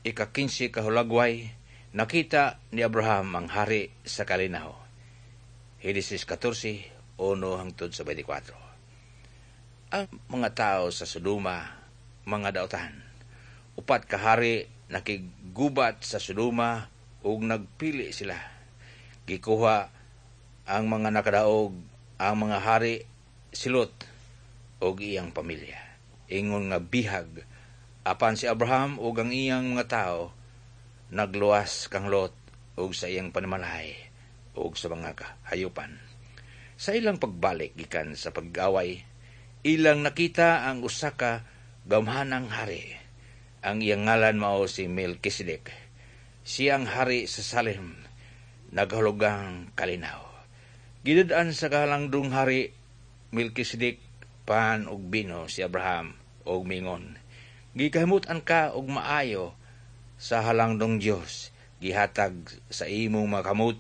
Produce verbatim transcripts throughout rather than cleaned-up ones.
Ika-kinse ka hulagway, nakita ni Abraham ang hari sa kalinaw. Henesis katorse, uno hangtod sa beinte kwatro. Ang mga tao sa Sodoma, mga dautan. Upat ka hari nakiggubat sa Sodoma ug nagpili sila. Gikuha ang mga nakadaog ang mga hari si Lot ug iyang pamilya. Ingon nga bihag, apan si Abraham ug ang iyang mga tao nagluwas kang Lot ug sa iyang panimalay ug sa mga kahayupan. Sa ilang pagbalik gikan sa pag-away, ilang nakita ang usa ka gamhanang hari. Ang iyang ngalan mao si Melchizedek. Siya ang hari sa Salem, nagahulugang kalinaw. Gidad-an sa kahalangdong hari Melchizedek pan ug bino si Abraham ug mingon, "Gikahimut-an ka og maayo sa halangdong Dios. Gihatag sa imong mga kamot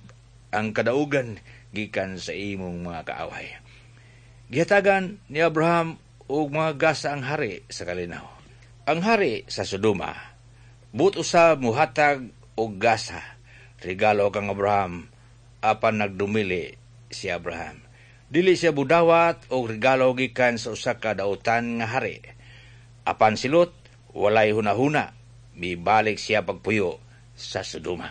ang kadaugan gikan sa imong mga kaaway." Gihatagan ni Abraham og mga gasa ang hari sa kalinaw. Ang hari sa Sodoma buot usab muhatag og gasa, regalo kang Abraham, apan nagdumili si Abraham. Dili siya budawat og regalo gikan sa usa ka dautan nga hari. Apan si Lot walay hunahuna, mibalik siya pagpuyo sa Sodoma.